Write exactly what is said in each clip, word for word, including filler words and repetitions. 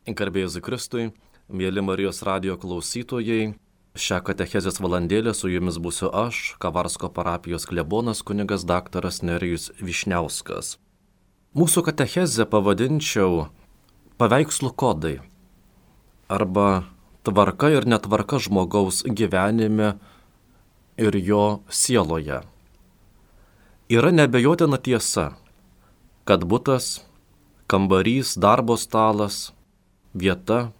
Garbė Jėzui Kristui, mėly Marijos radijo klausytojai, šią katechezės valandėlę su jumis būsiu aš, Kavarsko parapijos klebonas kunigas daktaras Nerijus Vyšniauskas. Mūsų katechezę pavadinčiau paveikslų kodai arba tvarka ir netvarka žmogaus gyvenime ir jo sieloje. Yra neabejotina tiesa, kad butas, kambarys, darbo stalas, vieta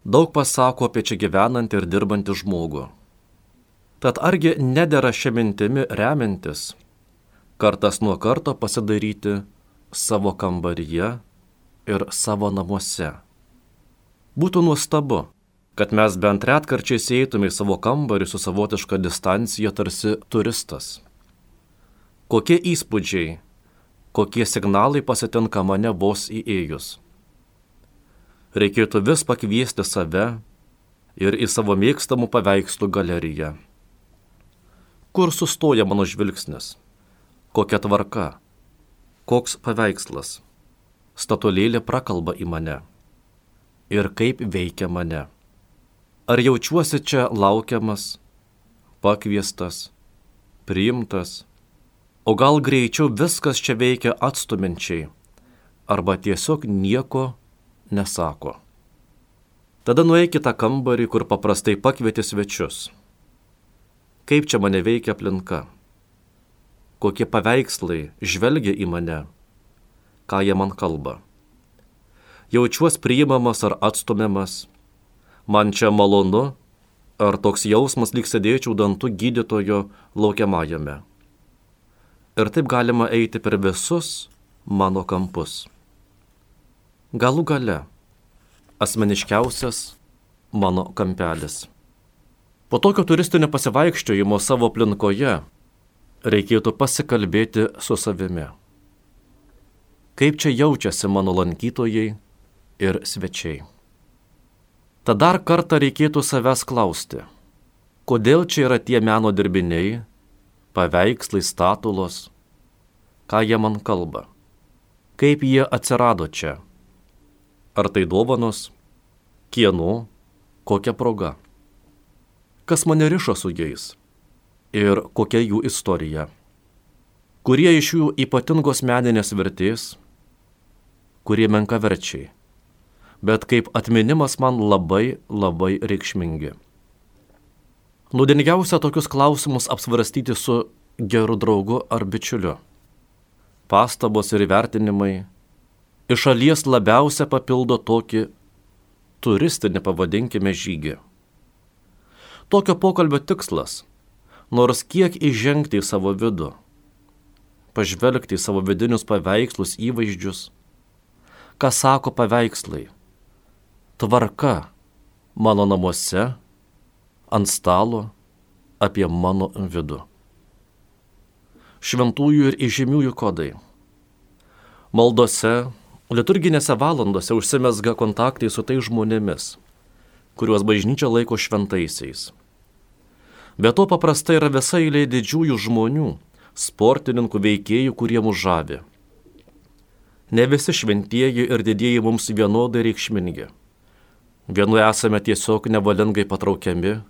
daug pasako apie čia gyvenantį ir dirbantį žmogų. Tad argi nedera šią mintimį remiantis, kartas nuo karto pasidaryti savo kambaryje ir savo namuose. Būtų nuostabu, kad mes bent retkarčiais įeitume į savo kambarį su savotiška distancija tarsi turistas. Kokie įspūdžiai, kokie signalai pasitinka mane vos įėjus. Reikėtų vis pakviesti save ir į savo mėgstamų paveikslų galeriją. Kur sustoja mano žvilgsnis? Kokia tvarka? Koks paveikslas? Statulėlė prakalba į mane. Ir kaip veikia mane? Ar jaučiuosi čia laukiamas, pakviestas, priimtas? O gal greičiau viskas čia veikia atstuminčiai, arba tiesiog nieko nesako. Tada nueik į tą kambarį, kur paprastai pakvieti svečius. Kaip čia mane veikia aplinka? Kokie paveikslai žvelgia į mane? Ką jie man kalba? Jaučiuos priimamas ar atstumiamas? Man čia malonu? Ar toks jausmas lyg sėdėčiau dantų gydytojo laukiamajame? Ir taip galima eiti per visus mano kampus. Galų gale, asmeniškiausias mano kampelis. Po tokio turistinio pasivaikščiojimo savo aplinkoje reikėtų pasikalbėti su savimi. Kaip čia jaučiasi mano lankytojai ir svečiai. Tad dar kartą reikėtų savęs klausti, kodėl čia yra tie meno dirbiniai, paveikslai, statulos, ką jie man kalba, kaip jie atsirado čia. Ar tai dovanos, kieno, kokia proga? Kas mane rišo su jais ir kokia jų istorija? Kurie iš jų ypatingos meninės vertės, kurie menkaverčiai, bet kaip atminimas man labai, labai reikšmingi. Naudingiausia tokius klausimus apsvarstyti su geru draugu ar bičiuliu. Pastabos ir įvertinimai iš šalies labiausia papildo tokį turistinį, pavadinkime, žygį. Tokio pokalbio tikslas, nors kiek įžengti į savo vidų, pažvelgti į savo vidinius paveikslus, įvaizdžius, ką sako paveikslai, tvarka mano namuose, ant stalo, apie mano vidų. Šventųjų ir įžymiųjų kodai. Maldose, liturginėse valandose užsimezga kontaktai su tais žmonėmis, kuriuos bažnyčia laiko šventaisiais. Be to paprastai yra visa eilė didžiųjų žmonių, sportininkų, veikėjų, kurie mus žavi. Ne visi šventieji ir didieji mums vienodai reikšmingi. Vienu esame tiesiog nevalingai patraukiami,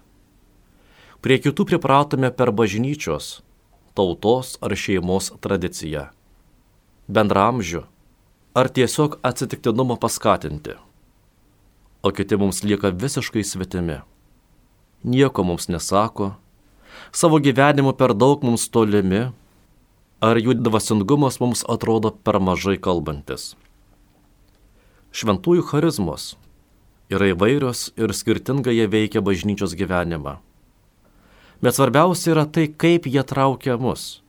prie kitų pripratome per bažnyčios, tautos ar šeimos tradiciją, bendramžių ar tiesiog atsitiktinumo paskatinti, o kiti mums lieka visiškai svetimi. Nieko mums nesako, savo gyvenimu per daug mums tolimi, ar jų dvasingumas mums atrodo per mažai kalbantis. Šventųjų charizmos yra įvairios ir skirtingai jie veikia bažnyčios gyvenimą. Bet svarbiausia yra tai, kaip jie traukia mus.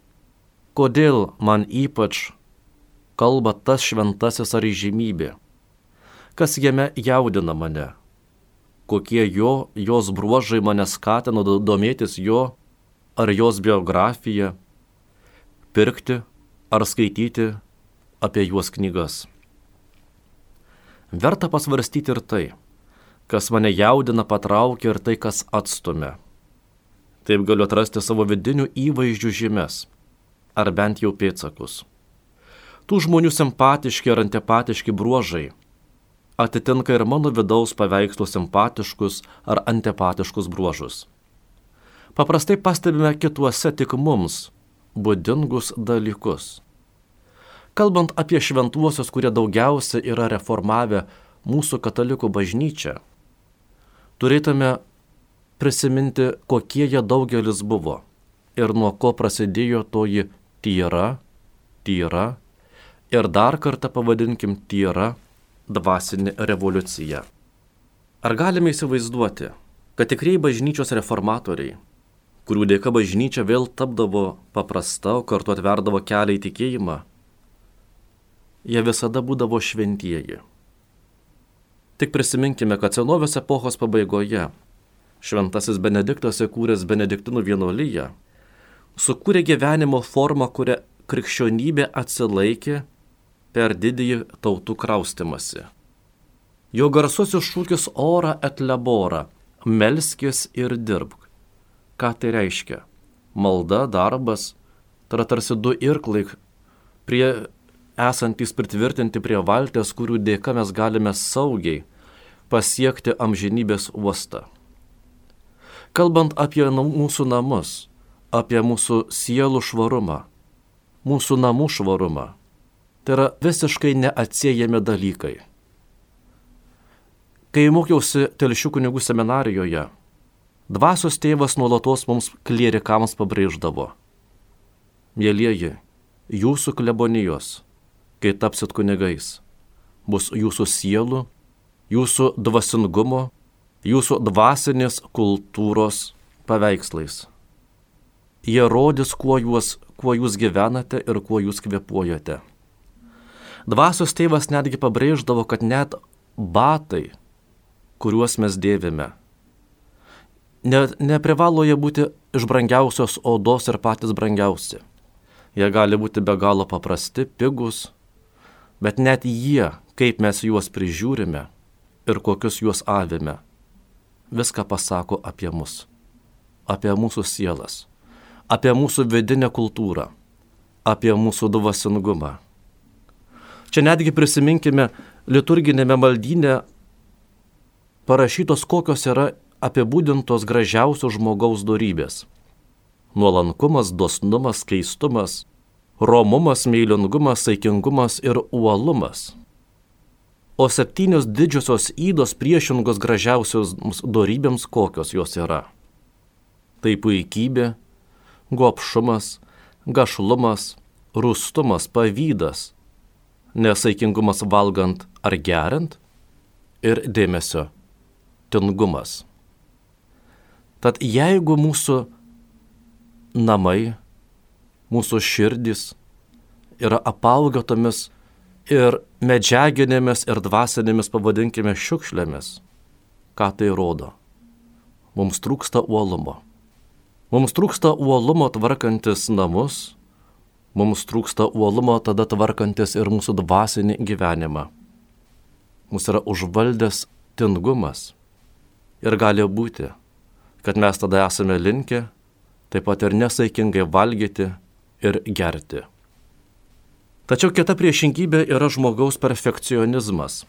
Kodėl man ypač kalba tas šventasis ar įžymybė, kas jame jaudina mane, kokie jo, jos bruožai mane skatino domėtis jo ar jos biografiją, pirkti ar skaityti apie juos knygas. Verta pasvarstyti ir tai, kas mane jaudina, patraukia ir tai, kas atstumia. Taip galiu atrasti savo vidinių įvaizdžių žymes, ar bent jau pėdsakus. Tų žmonių simpatiški ar antipatiški bruožai atitinka ir mano vidaus paveikslų simpatiškus ar antipatiškus bruožus. Paprastai pastebime kituose tik mums būdingus dalykus. Kalbant apie šventuosius, kurie daugiausia yra reformavę mūsų katalikų bažnyčią, turėtume prisiminti, kokie jie daugelis buvo ir nuo ko prasidėjo toji tyra, tyra ir dar kartą pavadinkim tyra dvasinė revoliucija. Ar galime įsivaizduoti, kad tikrieji bažnyčios reformatoriai, kurių dėka bažnyčia vėl tapdavo paprasta, o kartu atverdavo kelią į tikėjimą, jie visada būdavo šventieji. Tik prisiminkime, kad senovės epochos pabaigoje šventasis Benediktas įkūręs Benediktinų vienuoliją sukūrė gyvenimo formą, kurią krikščionybė atsilaikė per didįjį tautų kraustimąsi. Jo garsusis šūkis ora et labora, melskis ir dirbk. Ką tai reiškia? Malda, darbas, tai yra tarsi du irklai, prie, esantys pritvirtinti prie valties, kurių dėka mes galime saugiai pasiekti amžinybės uostą. Kalbant apie mūsų namus, apie mūsų sielų švarumą, mūsų namų švarumą, tai yra visiškai neatsiejami dalykai. Kai mokiausi Telšių kunigų seminarijoje, dvasios tėvas nuolatos mums klierikams pabrėždavo: mielieji, jūsų klebonijos, kai tapsit kunigais, bus jūsų sielų, jūsų dvasingumo, jūsų dvasinės kultūros paveikslais. Jie rodys, kuo jūs, kuo jūs gyvenate ir kuo jūs kvėpuojate. Dvasios tėvas netgi pabrėždavo, kad net batai, kuriuos mes dėvime, ne, neprivalo jie būti iš brangiausios odos ir patys brangiausi. Jie gali būti be galo paprasti, pigus, bet net jie, kaip mes juos prižiūrime ir kokius juos avime, viską pasako apie mus, apie mūsų sielas, apie mūsų vidinę kultūrą, apie mūsų dvasingumą. Čia netgi prisiminkime liturginėme maldyne parašytos, kokios yra apibūdintos gražiausios žmogaus dorybės. Nuolankumas, dosnumas, keistumas, romumas, meilingumas, saikingumas ir uolumas. O septynios didžiosios ydos priešingos gražiausios dorybėms, kokios jos yra. Tai puikybė, gobšumas, gašlumas, rūstumas, pavydas, nesaikingumas valgant ar geriant ir dėmesio tingumas. Tad jeigu mūsų namai, mūsų širdys yra apaugę tomis ir medžiaginėmis ir dvasinėmis, pavadinkime, šiukšlėmis, ką tai rodo? Mums trūksta uolumo. Mums trūksta uolumo tvarkantis namus, mums trūksta uolumo tada tvarkantis ir mūsų dvasinį gyvenimą. Mūsų yra užvaldęs tingumas. Ir gali būti, kad mes tada esame linkę taip pat ir nesaikingai valgyti ir gerti. Tačiau kita priešingybė yra žmogaus perfekcionizmas,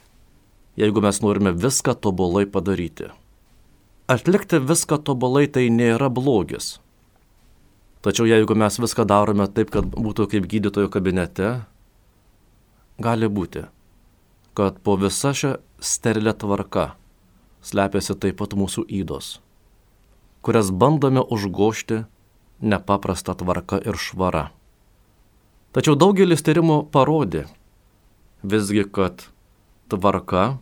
jeigu mes norime viską tobulai padaryti. Atlikti viską tobulai tai nėra blogis. Tačiau jeigu mes viską darome taip, kad būtų kaip gydytojo kabinete, gali būti, kad po visa šią sterilę tvarką slepiasi taip pat mūsų ydos, kurias bandome užgožti nepaprasta tvarka ir švara. Tačiau daugelis tyrimų parodė visgi, kad tvarka,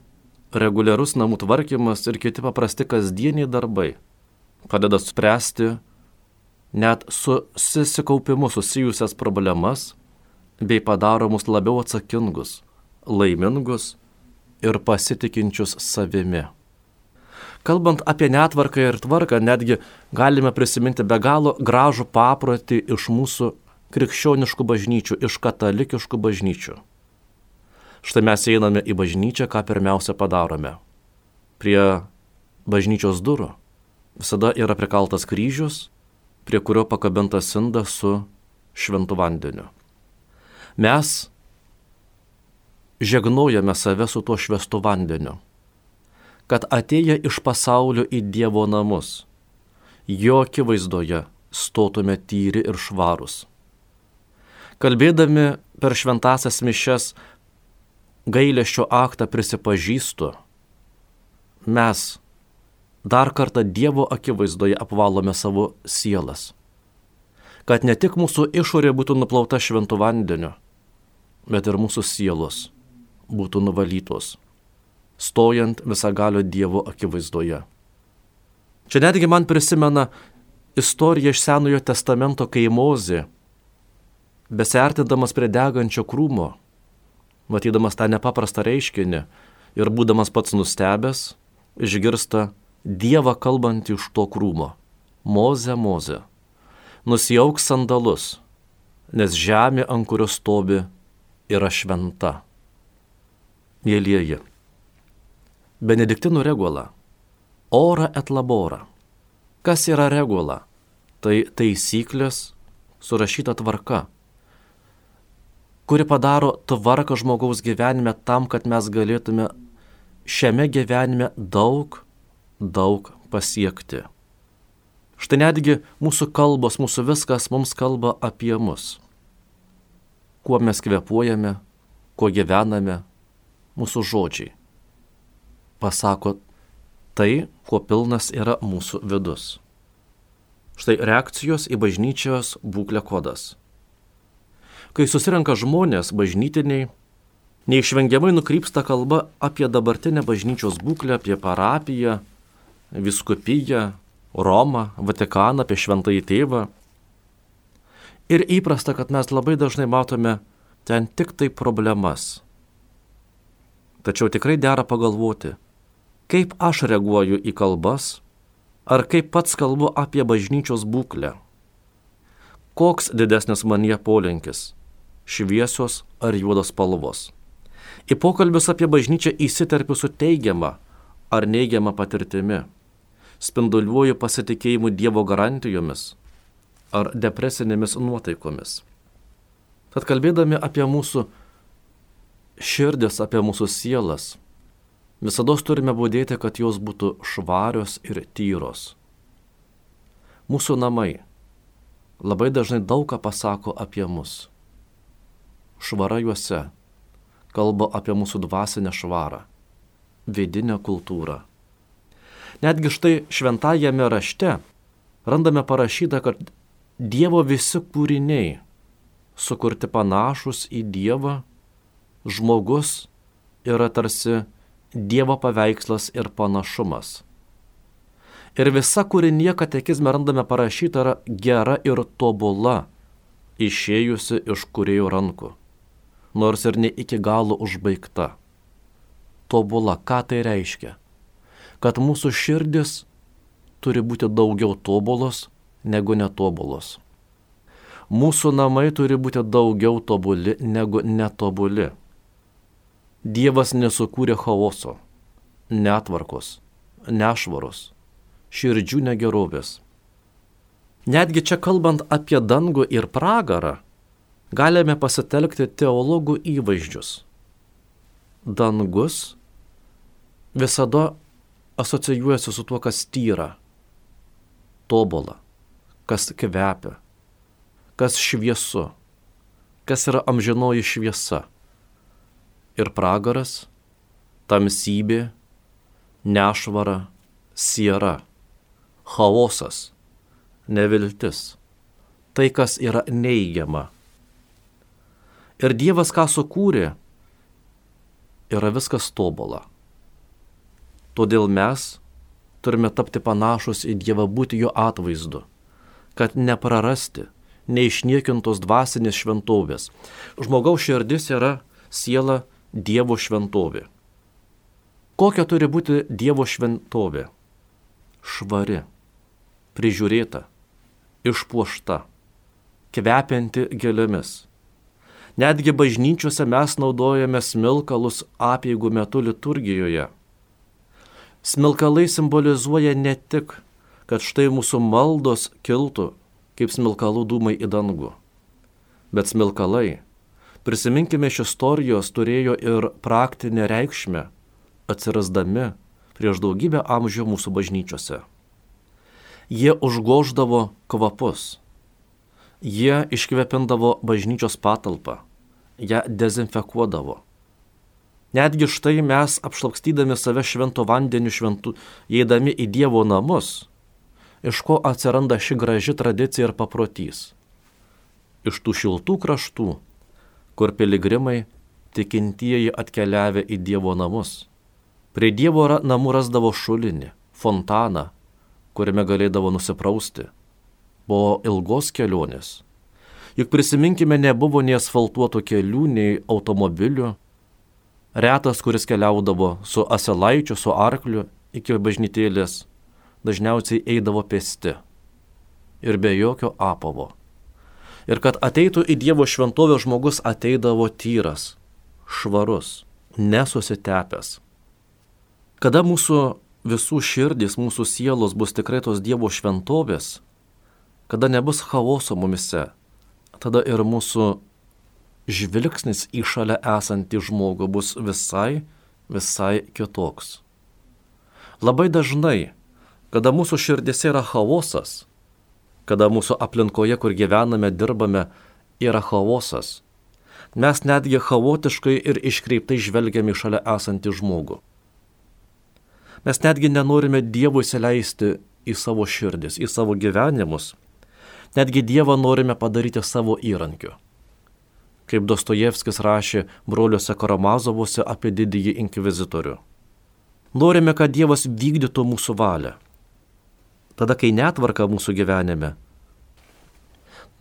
reguliarus namų tvarkymas ir kiti paprasti kasdieniai darbai padeda spręsti net su susikaupimu susijusias problemas bei padaro mus labiau atsakingus, laimingus ir pasitikinčius savimi. Kalbant apie netvarką ir tvarką, netgi galime prisiminti be galo gražų paprotį iš mūsų krikščioniškų bažnyčių, iš katalikiškų bažnyčių. Štai mes einame į bažnyčią, ką pirmiausia padarome. Prie bažnyčios durų visada yra prikaltas kryžius, prie kurio pakabintas indas su šventu vandeniu. Mes žegnojame save su tuo švęstu vandeniu, kad atėję iš pasaulio į Dievo namus, jo akivaizdoje stotume tyri ir švarūs. Kalbėdami per šventąsias mišias gailesčio aktą prisipažįstu, mes dar kartą Dievo akivaizdoje apvalome savo sielas, kad ne tik mūsų išorė būtų nuplauta šventu vandeniu, bet ir mūsų sielos būtų nuvalytos, stojant visagalio Dievo akivaizdoje. Čia netgi man prisimena istorija iš Senojo testamento, kai Mozė, besiartindamas prie degančio krūmo, matydamas tą nepaprastą reiškinį ir būdamas pats nustebęs, išgirsta Dievą kalbantį iš to krūmo. Moze, Moze, nusiauk sandalus, nes žemė, ant kurios stovi, yra šventa. Mielieji, Benediktinų regula, ora et labora. Kas yra regula? Tai taisyklės, surašyta tvarka, kuri padaro tvarką žmogaus gyvenime tam, kad mes galėtume šiame gyvenime daug, daug pasiekti. Štai netgi mūsų kalbos, mūsų viskas mums kalba apie mus. Kuo mes kvėpuojame, kuo gyvename, mūsų žodžiai pasako tai, kuo pilnas yra mūsų vidus. Štai reakcijos į bažnyčios būklę kodas. Kai susirenka žmonės bažnytiniai, neišvengiamai nukrypsta kalba apie dabartinę bažnyčios būklę, apie parapiją, vyskupiją, Romą, Vatikaną, apie Šventąjį Tėvą. Ir įprasta, kad mes labai dažnai matome ten tik tai problemas. Tačiau tikrai dera pagalvoti, kaip aš reaguoju į kalbas, ar kaip pats kalbu apie bažnyčios būklę. Koks didesnis manyje polinkis - šviesios ar juodos spalvos. Į pokalbius apie bažnyčią įsiterpiu su teigiama ar neigiama patirtimi. Spinduliuoju pasitikėjimu Dievo garantijomis ar depresinėmis nuotaikomis. Tad kalbėdami apie mūsų širdis, apie mūsų sielas, visada turime būdėti, kad jos būtų švarios ir tyros. Mūsų namai labai dažnai daug ką pasako apie mus. Švara juose kalba apie mūsų dvasinę švarą, vidinę kultūrą. Netgi štai šventajame rašte randame parašyta, kad Dievo visi kūriniai sukurti panašus į Dievą, žmogus yra tarsi Dievo paveikslas ir panašumas. Ir visa kūrinė katekizme randame parašyta yra gera ir tobula, išėjusi iš kūrėjo rankų, nors ir ne iki galo užbaigta. Tobula, ką tai reiškia? Kad mūsų širdis turi būti daugiau tobulos negu netobulos. Mūsų namai turi būti daugiau tobuli negu netobuli. Dievas nesukūrė chaoso, netvarkos, nešvaros, širdžių negerovės. Netgi čia kalbant apie dangų ir pragarą, galime pasitelkti teologų įvaizdžius. Dangus visada asocijuojasi su tuo, kas tyra, tobula, kas kvepia, kas šviesu, kas yra amžinoji šviesa. Ir pragaras, tamsybė, nešvara, siera, chaosas, neviltis, tai, kas yra neigiama. Ir Dievas, ką sukūrė, yra viskas tobula. Todėl mes turime tapti panašus į Dievą, būti jo atvaizdu, kad neprarasti neišniekintos dvasinės šventovės. Žmogaus širdis yra siela Dievo šventovė. Kokia turi būti Dievo šventovė? Švari, prižiūrėta, išpuošta, kvepianti gėlėmis. Netgi bažnyčiose mes naudojame smilkalus apeigų metu liturgijoje. Smilkalai simbolizuoja ne tik, kad štai mūsų maldos kiltų kaip smilkalų dūmai į dangų, bet smilkalai Prisiminkime, iš istorijos turėjo ir praktinę reikšmę, atsirasdami prieš daugybę amžių mūsų bažnyčiose. Jie užgoždavo kvapus, jie iškvepindavo bažnyčios patalpą, ją dezinfekuodavo. Netgi štai mes, apšlakstydami save švento vandeniu šventų, įeidami į Dievo namus, iš ko atsiranda ši graži tradicija ir paprotys. Iš tų šiltų kraštų, kur piligrimai, tikintieji atkeliavę į Dievo namus. Prie Dievo namų rasdavo šulinį, fontaną, kuriame galėdavo nusiprausti. Po ilgos kelionės. Juk prisiminkime, nebuvo nei asfaltuotų kelių, nei automobilių. Retas, kuris keliaudavo su asilaičiu, su arkliu iki bažnytėlės, dažniausiai eidavo pėsti ir be jokio apavo. Ir kad ateitų į Dievo šventovę, žmogus ateidavo tyras, švarus, nesusitepęs. Kada mūsų visų širdys, mūsų sielos bus tikrai tos Dievo šventovės, kada nebus chaoso mumise, tada ir mūsų žvilgsnis į šalia esantį žmogų bus visai, visai kitoks. Labai dažnai, kada mūsų širdėse yra chaosas, kada mūsų aplinkoje, kur gyvename, dirbame, yra chaosas, mes netgi chaotiškai ir iškreiptai žvelgiame į šalia esantį žmogų. Mes netgi nenorime Dievui įsileisti į savo širdis, į savo gyvenimus, netgi Dievą norime padaryti savo įrankiu. Kaip Dostojevskis rašė broliuose Karamazovuose apie didįjį inkvizitorių. Norime, kad Dievas vykdytų mūsų valią. Tada, kai netvarka mūsų gyvenime,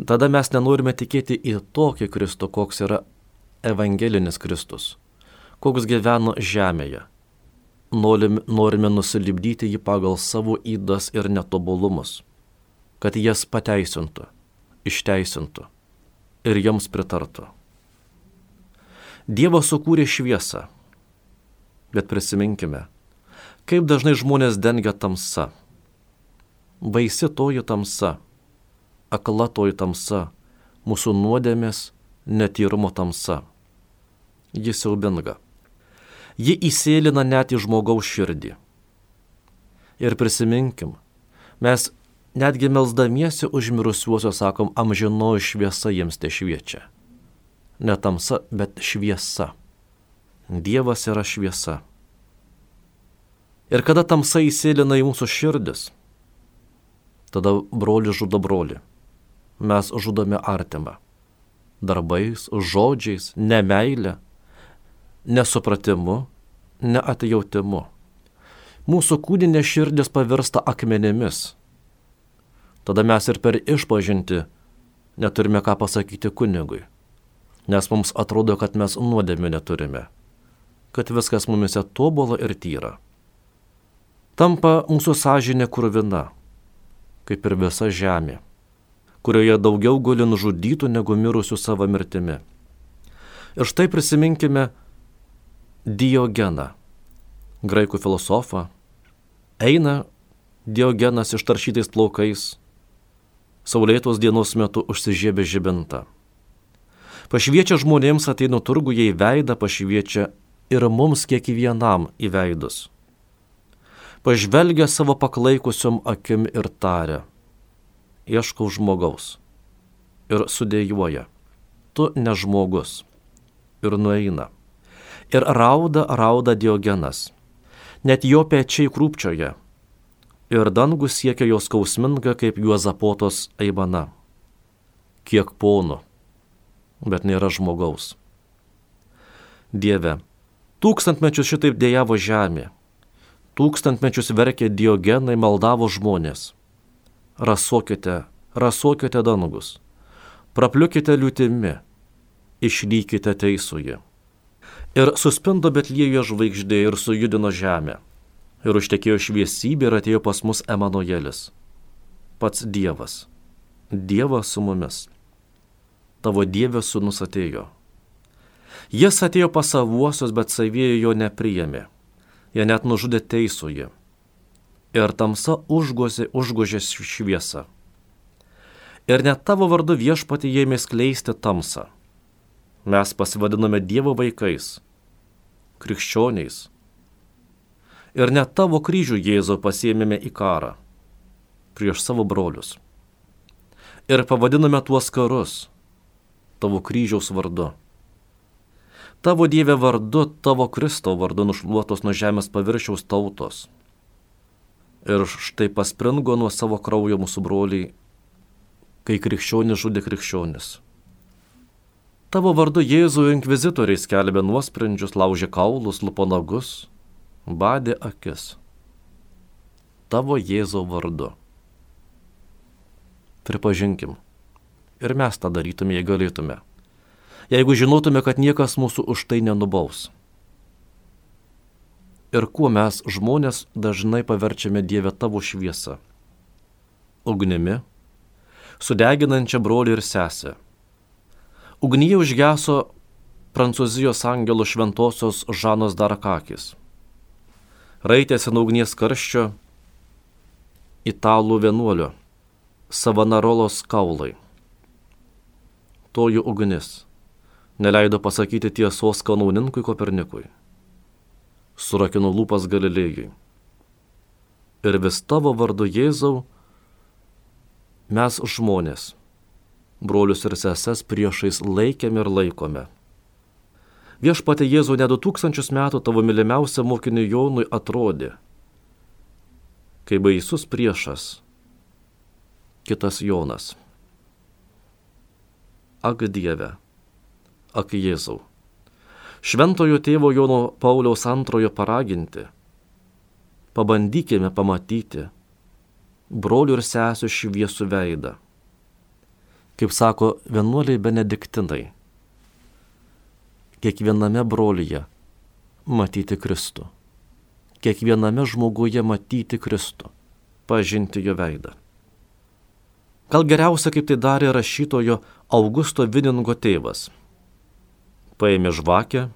tada mes nenorime tikėti į tokį Kristų, koks yra evangelinis Kristus, koks gyveno žemėje. Norime, norime nusilipdyti jį pagal savo ydas ir netobulumus, kad jas pateisintų, išteisintų ir joms pritartų. Dievas sukūrė šviesą, bet prisiminkime, kaip dažnai žmonės dengia tamsa. Baisi toji tamsa, akla toji tamsa, mūsų nuodėmės, netyrumo tamsa. Ji siaubinga. Ji įsėlina net į žmogaus širdį. Ir prisiminkim, mes netgi melsdamiesi už mirusiuosius sakom, amžinoji šviesa jiems te šviečia. Ne tamsa, bet šviesa. Dievas yra šviesa. Ir kada tamsa įsėlina į mūsų širdis, tada brolis žudo brolį. Mes žudome artimą. Darbais, žodžiais, nemeilė, nesupratimu, neatjautimu. Mūsų kūninė širdis pavirsta akmenimis. Tada mes ir per išpažintį neturime ką pasakyti kunigui, nes mums atrodo, kad mes nuodėmių neturime, kad viskas mumise tobula ir tyra. Tampa mūsų sąžinė kruvina, kaip ir visa žemė, kurioje daugiau guli nužudytų negu mirusių savo mirtimi. Ir štai prisiminkime Diogeną, graikų filosofą. Eina Diogenas ištaršytais plaukais, saulėtos dienos metu užsižiebė žibintą. Pašviečia žmonėms ateina turguje į veidą, pašviečia ir mums kiekvienam į veidus. Pažvelgia savo paklaikusiom akim ir taria, ieškau žmogaus. Ir sudėjuoja, tu ne žmogus. Ir nueina. Ir rauda, rauda Diogenas. Net jo pečiai krūpčioja. Ir dangus siekia jos skausminga kaip Juozapotos aimana. Kiek ponų, bet nėra žmogaus. Dieve, tūkstantmečius šitaip dejavo žemė. Tūkstantmečius verkė Diogenai, maldavo žmonės. Rasuokite, rasuokite dangus. Prapliukite liūtimi, išlykite teisųjį. Ir suspindo Betliejo žvaigždė ir sujudino žemę. Ir užtekėjo šviesybė ir atėjo pas mus Emanuelis. Pats Dievas. Dievas su mumis. Tavo Dievės sūnus atėjo. Jis atėjo pas savuosius, bet savieji jo nepriėmė. Jie net nužudė teisųjį. Ir tamsa užgožė, užgožė šviesą. Ir net tavo vardu Viešpatie ėmė skleisti tamsą. Mes pasivadiname Dievo vaikais, krikščioniais. Ir net tavo kryžių, Jėzau, pasiėmėme į karą prieš savo brolius. Ir pavadiname tuos karus tavo kryžiaus vardu. Tavo Dieve vardu, tavo Kristo vardu nušluotos nuo žemės paviršiaus tautos. Ir štai paspringo nuo savo kraujo mūsų broliai, kai krikščionis žudė krikščionis. Tavo vardu, Jėzų, inkvizitoriai skelbė nuosprendžius, laužė kaulus, lupo nagus, badė akis. Tavo Jėzau vardu. Pripažinkim, ir mes tą darytume, jei galėtume. Jeigu žinotume, kad niekas mūsų už tai nenubaus. Ir kuo mes, žmonės, dažnai paverčiame Dievę tavo šviesą? Ugnimi, sudeginančią brolį ir sesę. Ugnyje užgeso Prancūzijos angelo šventosios Žanos Darakakis. Raitėsi nuo ugnies karščio italų vienuolio Savanarolos kaulai. Toji ugnis neleido pasakyti tiesos kanauninkui Kopernikui. Surakino lūpas Galilėjui. Ir vis tavo vardu, Jėzau, mes žmonės, brolius ir seses priešais laikėme ir laikome. Viešpatie Jėzau, ne du tūkstančius metų tavo mylimiausiam mokiniui Jonui atrodė, kai baisus priešas, kitas Jonas. Ak Dieve, ak Jėzau, šventojo tėvo Jono Pauliaus antrojo paraginti, pabandykime pamatyti brolių ir sesių šviesų veidą. Kaip sako vienuoliai benediktinai, kiekviename brolyje matyti Kristų, kiekviename žmoguje matyti Kristų, pažinti jo veidą. Gal geriausia, kaip tai darė rašytojo Augusto Viningo tėvas. Paėmė žvakę,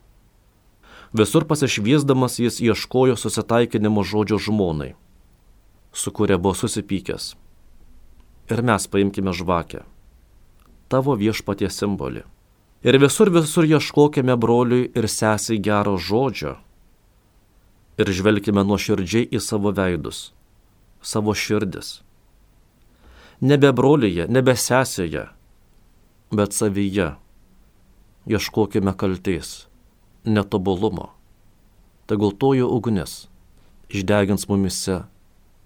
visur pasišviesdamas jis ieškojo susitaikinimo žodžio žmonai, su kuria buvo susipykęs. Ir mes paimkime žvakę, tavo viešpatie simbolį. Ir visur visur ieškokime broliui ir sesiai gero žodžio ir žvelkime nuoširdžiai į savo veidus, savo širdis. Nebe brolyje, nebe sesėje, bet savyje. Ieškokime kaltės, netobulumo. Tegul toji ugnis išdegins mumise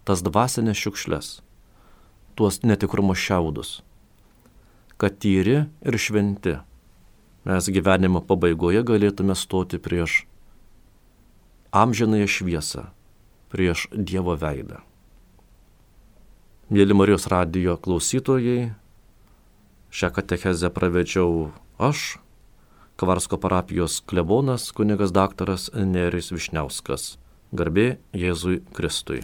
tas dvasinės šiukšles, tuos netikrumo šiaudus, kad tyri ir šventi mes gyvenimo pabaigoje galėtume stoti prieš amžinąją šviesą, prieš Dievo veidą. Mėly Marijos radijo klausytojai, šią katechezę pravedžiau aš, Kavarsko parapijos klebonas, kunigas daktaras Nerijus Vyšniauskas. Garbė Jėzui Kristui.